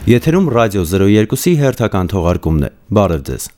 Եթերում ռադիո 02-ի հերթական թողարկումն է։ Բարև ձեզ։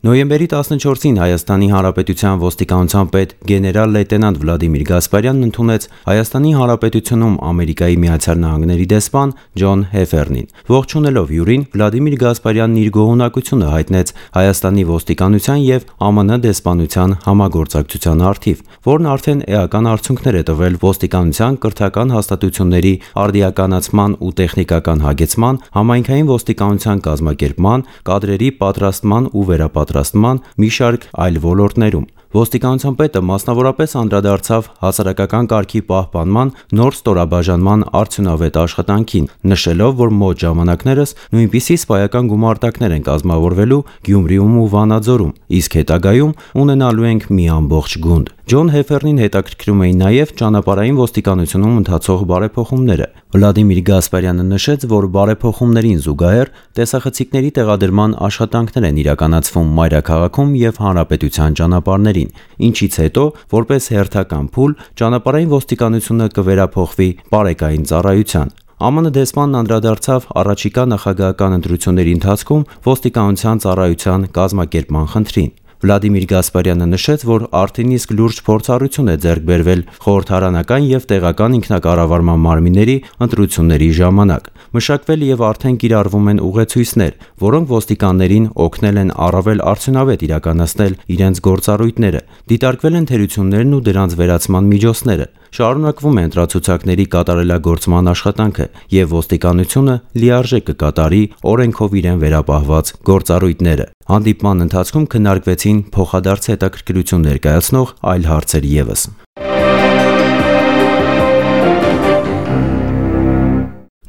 Նոյեմբերի 14-ին Հայաստանի Հանրապետության ոստիկանության պետ գեներալ լեյտենանտ Վլադիմիր Գասպարյանն ընդունեց Հայաստանի Հանրապետությունում Ամերիկայի Միացյալ Նահանգների դեսպան Ջոն Հեֆերնին։ Ողջունելով հյուրին, Վլադիմիր Գասպարյանն իր գոհունակությունը հայտնեց Հայաստանի ոստիկանության եւ ԱՄՆ դեսպանության համագործակցության առթիվ, որն արդեն էական արդյունքներ է տվել ոստիկանության կրթական հաստատությունների արդիականացման ու տեխնիկական հագեցման, համայնքային ոստիկանության կազմակերպման, կադրերի պատրաստման ու վերապատրաստման մի շարք այլ ոլորտներում։ Ոստիկանության պետը մասնավորապես անդրադարձավ հասարակական կարգի պահպանման նոր ստորաբաժանման արդյունավետ աշխատանքին, նշելով, որ մոտ ժամանակներս նույնպիսի սպայական գումարտակներ են կազմավորվելու Գյումրիում ու Վանաձորում, իսկ հետագայում ունենալու ենք մի ամբողջ գունդ։ Ջոն Հեֆերնին հետաքրքրում էին նաև ճանապարհային ոստիկանությունում ընթացող բարեփոխումները։ Վլադիմիր Գասպարյանը նշեց, որ բարեփոխումներին զուգահեռ տեսախցիկների տեղադրման աշխատանքներ են իրականացվում մայրաքաղաքում եւ հանրապետության ճանապարհներին, ինչից հետո, որպես հերթական փուլ, ճանապարհային ոստիկանությունը կվերափոխվի բարեկային ծառայության։ ԱՄՆ դեսպանն անդրադարձավ առաջիկա նախագահական ընտրությունների ընթացքում ոստիկանության ծառայության կազմակերպման խնդրին։ Վլադիմիր Գասպարյանը նշեց, որ արդեն իսկ լուրջ փորձառություն է ձեռք բերվել խորհրդարանական եւ տեղական ինքնակառավարման մարմինների ընտրությունների ժամանակ։ Մշակվել եւ արդեն կիրառվում են ուղեցույցներ, որոնք ոստիկաններին օգնել են առավել արդյունավետ իրականացնել իրենց գործառույթները։ Դիտարկվել են թերություններն ու դրանց վերացման միջոցները։ Շարունակվում է ընտրացուցակների կատարելագործման աշխատանքը եւ ոստիկանությունը լիարժեք կկատարի օրենքով իրեն վերապահված գործառույթները։ Հանդիպման ընթացքում քննարկվեցին փոխադարձ հետաքրքրություն ներկայացնող այլ հարցեր ևս։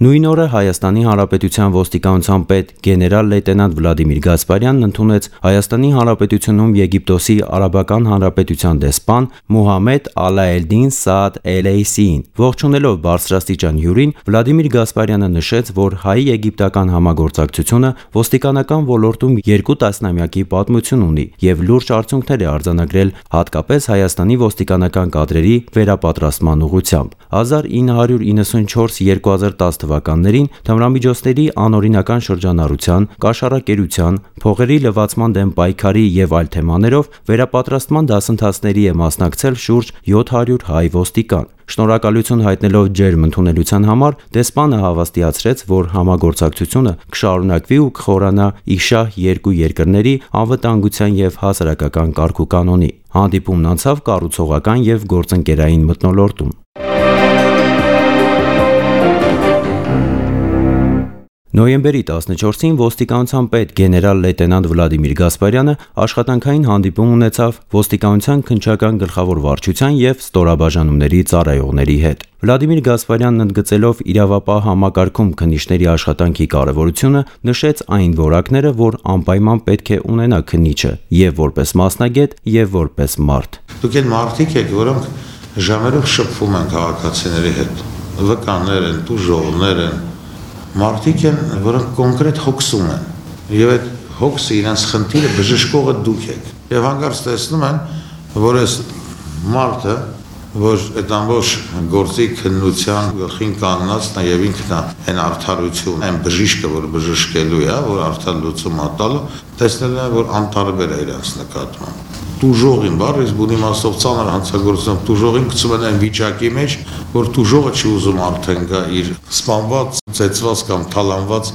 Նույն օրը Հայաստանի Հանրապետության ոստիկանության պետ գեներալ լեյտենանտ Վլադիմիր Գասպարյանն ընդունեց Հայաստանի Հանրապետությունում Եգիպտոսի Արաբական Հանրապետության դեսպան Մուհամմեդ Ալաելդին Սաադ Էլեյսիին։ Ողջունելով բարձրաստիճան հյուրին, Վլադիմիր Գասպարյանը նշեց, որ հայ-եգիպտական համագործակցությունը ոստիկանական ոլորտում 2 տասնամյակի պատմություն ունի եւ լուրջ արդյունքներ է արձանագրել հատկապես Հայաստանի ոստիկանական կադրերի վերապատրաստման ուղղությամբ։ 1994-2010 թվականներին թմրամիջոցների անօրինական շրջանառության, կաշառակերության, փողերի լվացման դեմ պայքարի եւ այլ թեմաներով վերապատրաստման դասընթացների է մասնակցել շուրջ 700 հայ ոստիկան։ Շնորհակալություն հայտնելով ջերմ ընդունելության համար, դեսպանը հավաստիացրեց, որ համագործակցությունը կշարունակվի ու կխորանա իշահ երկու երկրների անվտանգության եւ հասարակական կարգուկանոնի։ Հանդիպումն անցավ կառուցողական եւ գործընկերային մթնոլորտում։ Նոյեմբերի 14-ին ոստիկանության պետ գեներալ լեյտենանտ Վլադիմիր Գասպարյանը աշխատանքային հանդիպում ունեցավ ոստիկանության քննչական գլխավոր վարչության եւ ստորաբաժանումների ծառայողների հետ։ Վլադիմիր Գասպարյանն ընդգծելով իրավապահ համակարգում քննիչների աշխատանքի կարևորությունը, նշեց այն որակները, որ անպայման պետք է ունենա քննիչը եւ որպես մասնագետ եւ որպես մարդ։ Դուք այն մարդիկ եք, որոնք ժամերով շփվում են քաղաքացիների հետ, վկաներ են, տուժողներ են, մարդիկ են, որոնք կոնկրետ հոգսում են, եւ այդ հոգսը իրենց խնդիրը բժշկողը դուք եք։ Եվ հանկարծ տեսնում են, որ այս մարդը, որ այդ ամբողջ գործի քննության գլխին կանգնած նաեւ ինքն է այն արդարություն, այն բժիշկը, որ բժշկելու է, որ արդար լուծում ատալու, տեսնել է, որ անտարբեր է իրենց նկատմամբ։ Տուժողին բառը բունի մասով ծանր հանցագործում տուժողին գցում են այն վիճակի մեջ, որ տուժողը չի ուզում արդեն գա իր սպանված, ծեծված կամ թալանված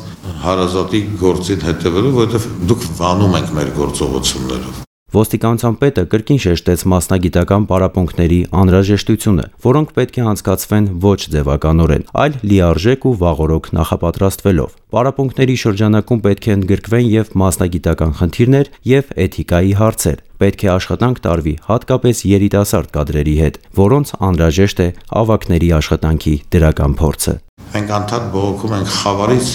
հարազատի գործին հետևելու, որովհետև դուք վանում եք մեր գործողություններով։ Ոստիկանության պետը կրկին շեշտեց մասնագիտական պարապմունքների անհրաժեշտությունը, որոնք պետք է անցկացվեն ոչ ձևականորեն, այլ լիարժեք ու վաղօրոք նախապատրաստվելով։ Պարապմունքների շրջանակում պետք է ընդգրկվեն եւ մասնագիտական խնդիրներ եւ էթիկայի հարցեր։ Պետք է աշխատանք տարվի հատկապես երիտասարդ կադրերի հետ, որոնց անհրաժեշտ է ավագների աշխատանքի դրական փորձը։ Մենք անդադ բողոքում ենք խավարից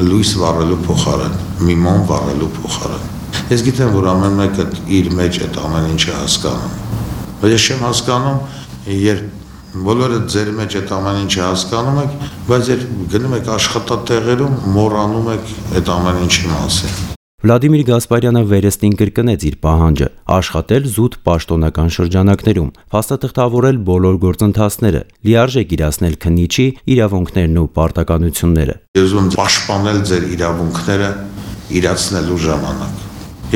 լույս վառելու փոխարեն, միմոն վառելու փոխարեն։ Ես գիտեմ, որ ամեն մեկը իր մեջ այդ ամեն ինչը հասկանում։ Բայց ես չեմ հասկանում, երբ բոլորը ձեր մեջ այդ ամեն ինչը հասկանում եք, բայց երբ գնում եք աշխատատեղերում, մոռանում եք այդ ամեն ինչի մասին։ Վլադիմիր Գասպարյանը վերստին կրկնեց իր պահանջը՝ աշխատել զուտ պաշտոնական շրջանակներում, փաստաթղթավորել բոլոր գործընթացները, լիարժեք իրացնել քննիչի իրավունքներն ու պարտականությունները։ Ես ուզում եմ պաշտպանել ձեր իրավունքները իրացնելու ժամանակ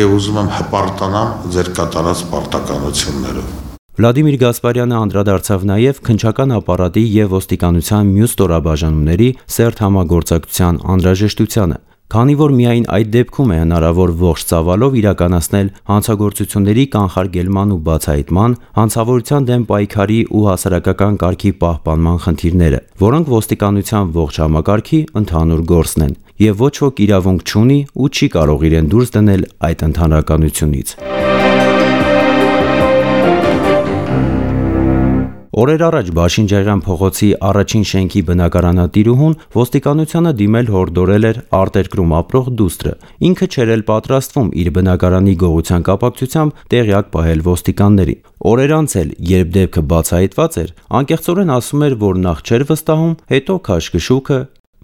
եւ ուզում եմ հպարտանամ ձեր կատարած պարտականություններով։ Վլադիմիր Գասպարյանը անդրադարձավ նաև քննչական ապարատի եւ ոստիկանության մյուս ստորաբաժանումների սերտ համագործակցության անհրաժեշտությանը, քանի որ միայն այդ դեպքում է հնարավոր ողջ ծավալով իրականացնել հանցագործությունների կանխարգելման ու բացահայտման, հանցավորության դեմ պայքարի ու հասարակական կարգի պահպանման խնդիրները, որոնք ոստիկանության ողջ համակարգի ընդհանուր գործն են, եւ ոչ ոք իրավունք չունի ու չի կարող իրեն դուրս դնել այդ ընդհանրականությունից։ Օրեր առաջ Բաշին-Ջայրան փողոցի առաջին շենքի բնակարանատիրուհուն ոստիկանությանը դիմել հորդորել էր արտերկրում ապրող դուստրը։ Ինքը չէր էլ պատրաստվում իր բնակարանի գողության կապակցությամբ տեղյակ պահել ոստիկաններին։ Օրեր անց էլ, երբ դեպքը բացահայտված էր, անկեղծորեն ասում էր, որ նախ չէր վստահում, հետո քաշքշուկը,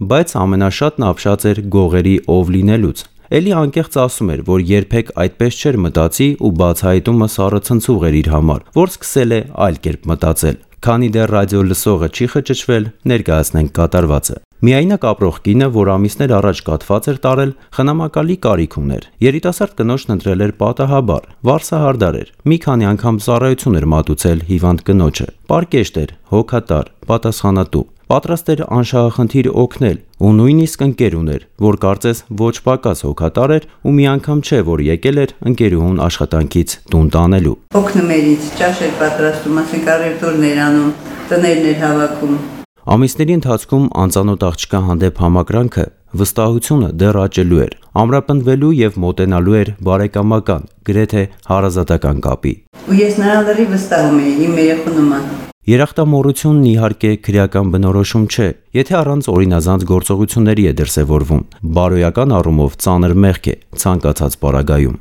բայց ամենաշատն ապշած էր գողերի ով լինելուց։ Էլի անկեղծ ասում էր, որ երբեք այդպես չէր մտածի ու բացահայտումը սառը ցնցուղ էր իր համար, որ սկսել է այլ կերպ մտածել։ Քանի դեռ ռադիո լսողը չի խճճվել, ներկայացնենք կատարվածը։ Միայնակ ապրող կինը, որ ամիսներ առաջ կաթված էր տարել, խնամակալի կարիք ուներ։ Երիտասարդ կնոջն ընտրել էր պատահաբար, վարսահարդար էր։ Մի քանի անգամ ծառայություն էր մատուցել հիվանդ կնոջը։ Պարկեշտ էր, հոգատար, պատասխանատու։ Պատրաստ էր անշահախնդիր օգնել ու նույնիսկ ընկեր ուներ, որ կարծես ոչ պակաս հոգատար էր ու մի անգամ չէ, որ եկել էր ընկերուհուն աշխատանքից տուն տանելու։ Օգնում էր ինձ, ճաշ էր պատրաստում, ասիկարետուրներ անում, տներն էր հավաքում։ Ամիսների ընթացքում անծանոթ աղջկա հանդեպ համակրանքը, վստահությունը դեռ աճելու էր, ամրապնդվելու եւ մոտենալու էր բարեկամական, գրեթե հարազատական կապի։ Ու ես նրան լրի վստահում էի իմ երեխու նման։ Երախտամոռությունն իհարկե քրեական բնորոշում չէ, եթե առանց օրինազանց գործողությունների է դրսևորվում, բարոյական առումով ծանր մեղք է ցանկացած պարագայում։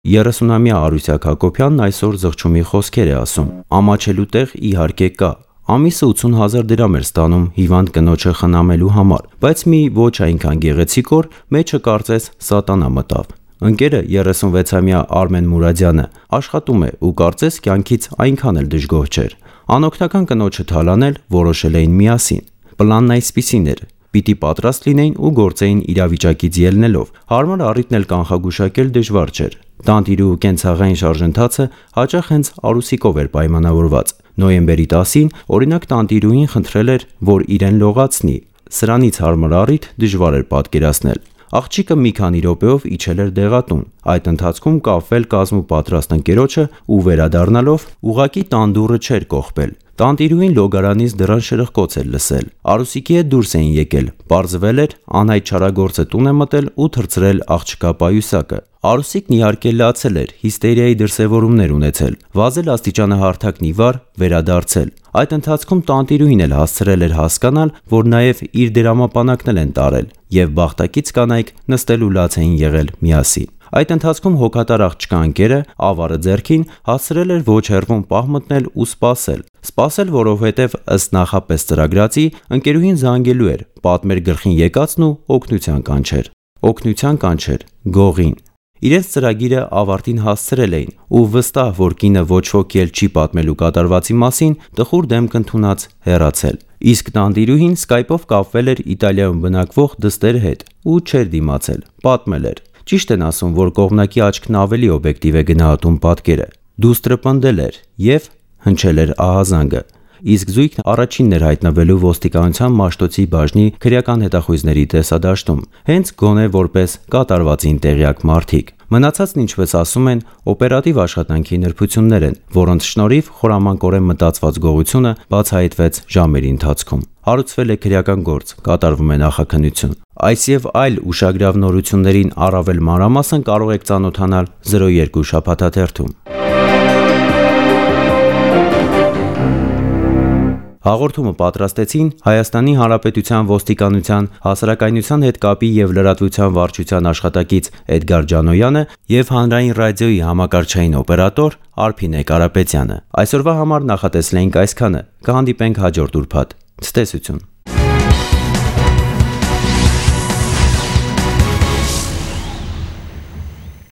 30-ամյա Արուսյակ Հակոբյանն այսօր զղջումի խոսքեր է ասում։ Ամաչելու տեղ իհարկե կա։ Ամիսը 80,000 դրամ էր ստանում հիվանդ կնոջը խնամելու համար, բայց մի ոչ այնքան գեղեցիկ օր մեջը կարծես սատանա մտավ։ Ընկերը 36-ամյա Արմեն Մուրադյանը աշխատում է ու կարծես կյանքից այնքան էլ դժգոհ չէր։ Անօգնական կնոջը թալանել որոշել էին միասին։ Պլանն այսպիսին էր. պիտի պատրաստ լինեին ու գործեին իրավիճակից ելնելով։ Հարմար առիթն էլ կանխագուշակել դժվար չէր։ Տանտիրու կենցաղային շարժընթացը հաճախ հենց Արուսիկով էր պայմանավորված։ Նոյեմբերի 10-ին օրինակ տանտիրուին խնդրել էր, որ իրեն լողացնի։ Սրանից հարմար առիթ դժվար էր պատկերացնել։ Աղջիկը մի քանի րոպեով իջել էր դեղատուն։ Այդ ընթացքում կապվել կազմու պատրաստ ընկերոջը ու վերադառնալով ուղակի տանդուռը չէր կողպել։ Տանտիրուին լոգարանից դռան շրխկոց էր լսել։ Արուսիկի հետ դուրս էին եկել։ Պարզվել էր անհայտ չարագործը տուն է մտել ու թռցրել աղջկա պայուսակը։ Արուսիկն իհարկե լացել էր, հիստերիայի դրսևորումներ ունեցել, վազել աստիճանը հարթակն ի վար, վերադարձել։ Այդ ընթացքում տանտիրուհին էլ հասցրել էր հասկանալ, որ նաև իր դրամապանակն են տարել, եւ բախտակից կանայք նստելու լաց էին եղել միասին։ Այդ ընթացքում հոգատար աղջկա ընկերը ավարը ձեռքին հասցրել էր ոչ հեռվում պահ մտնել ու սպասել, որովհետև ըստ նախապես ծրագրածի ընկերուհին զանգելու էր, պատմեր գլխին եկածն ու օգնության կանչեր գողին։ Իրենց ծրագիրը ավարտին հասցրել էին ու վստահ, որ կինը ոչ ոքի էլ չի պատմելու կատարվածի մասին, տխուր դեմք ընդունած հեռացել։ Իսկ տանտիրուհին Skype-ով կապվել էր Իտալիայում բնակվող դստեր հետ ու չէր դիմացել, պատմել էր։ Ճիշտ են ասում, որ կողմնակի աչքն ավելի օբյեկտիվ է գնահատում պատկերը։ Դուստրը պնդել էր եւ հնչել էր ահազանգը։ Իսկ զույգն առաջինն էր հայտնվելու ոստիկանության Մաշտոցի բաժնի քրեական հետախույզների տեսադաշտում, հենց գոնե որպես կատարվածին տեղյակ մարդիկ։ Մնացածն ինչպես ասում են, օպերատիվ աշխատանքի նրբություններ են, որոնց շնորհիվ խորամանկորեն մտածված գողությունը բացահայտվեց ժամերի ընթացքում։ Հարուցվել է քրեական գործ, կատարվում է նախաքննություն։ Այս եւ այլ ուշագրավ նորություններին առավել մանրամասն կարող եք ծանոթանալ 02 շաբաթաթերթում։ Հաղորդումը պատրաստեցին Հայաստանի Հանրապետության ոստիկանության հասարակայնության հետ կապի եւ լրատվության վարչության աշխատակից Էդգար Ջանոյանը եւ Հանրային ռադիոյի համակարգչային օպերատոր Արփինե Կարապետյանը։ Այսօրվա համար նախատեսել էինք այսքանը։ Կհանդիպենք հաջորդ ուրբաթ։ Ցտեսություն։